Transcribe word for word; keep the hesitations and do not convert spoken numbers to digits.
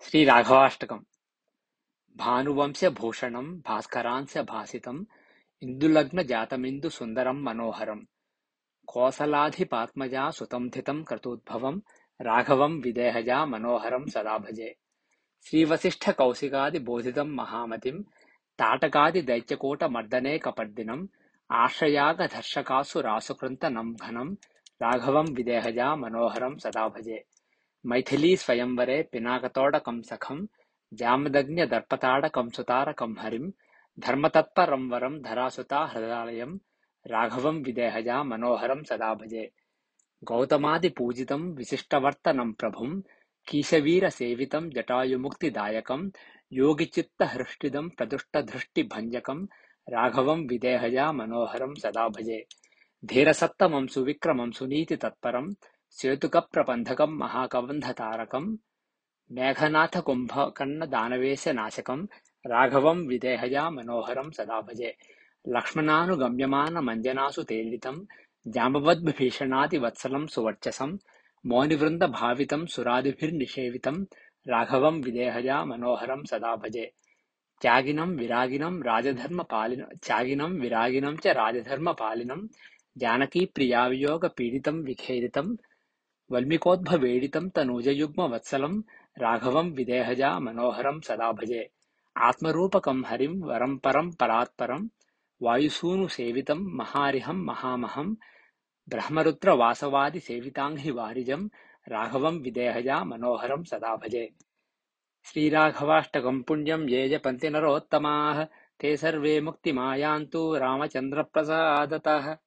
श्रीराघवाष्टकम्। भानुवंश्यभूषणम् भास्करांस्य भासितम् इन्दुलग्नजातमिन्दुसुन्दरम् मनोहरम् कोसलाधिपात्मजा सुतं थितं क्रतुद्भवम् राघवम् विदेहजा मनोहरम् सदा भजे। श्रीवसिष्ठकौशिकादिबोधितम् महामतिम् ताटकादिदैत्यकूटमर्दने कपर्दिनम् आश्रयागधर्षकासुरासुकृन्तनम् घनम् राघवम् विदेहजा मनोहरम् सदा भजे। मैथिलीस्वयंवरे पिनाकतोडकम् सखम् जामदग्न्यदर्पताडकम् सुतारकम् हरिम् धर्मतत्परम् वरम् धरासुता हृदालयम् राघवम् विदेहजा मनोहरम् सदा भजे। गौतमादिपूजितम् विशिष्टवर्तनम् प्रभुम् कीशवीरसेवितम् जटायुमुक्तिदायकम् योगिचित्तहृष्टिदम् प्रदुष्टधृष्टिभञ्जकम् राघवम् विदेहजा मनोहरम् सदा भजे। धीरसत्तमम् सुविक्रमम् सुनीतितत्परम् सेतुकप्रबन्धकम् महाकबन्धतारकम् मेघनाथकुम्भकर्णदानवेशनाशकम् राघवम् विदेहजा मनोहरम् सदा भजे। लक्ष्मणानुगम्यमानमञ्जनासुतेलितम् जाम्बवद्विभीषणादिवत्सलम् सुवर्चसम् मौनिवृन्दभावितम् सुरादिभिर्निषेवितम् राघवम् विदेहजा मनोहरम् सदा भजे। त्यागिनम् विरागिनम् राजधर्मपालिनम् त्यागिनम् विरागिनम् च राजधर्मपालिनम् जानकीप्रियावियोगपीडितम् विखेदितम् वल्मीकोद्भवेडितम् तनूजयुग्मवत्सलम् राघवम् विदेहजा मनोहरम् सदा भजे। आत्मरूपकम् हरिम् वरम् परम् परात्परम् वायुसूनुसेवितम् महारिहम् महामहम् ब्रह्मरुद्रवासवादिसेविताङ्घ्रि वारिजम् राघवम् विदेहजा मनोहरम् सदा भजे। श्रीराघवाष्टकम् पुण्यम् ये जपन्ति नरोत्तमाः ते सर्वे मुक्तिमायान्तु रामचन्द्रप्रसादतः।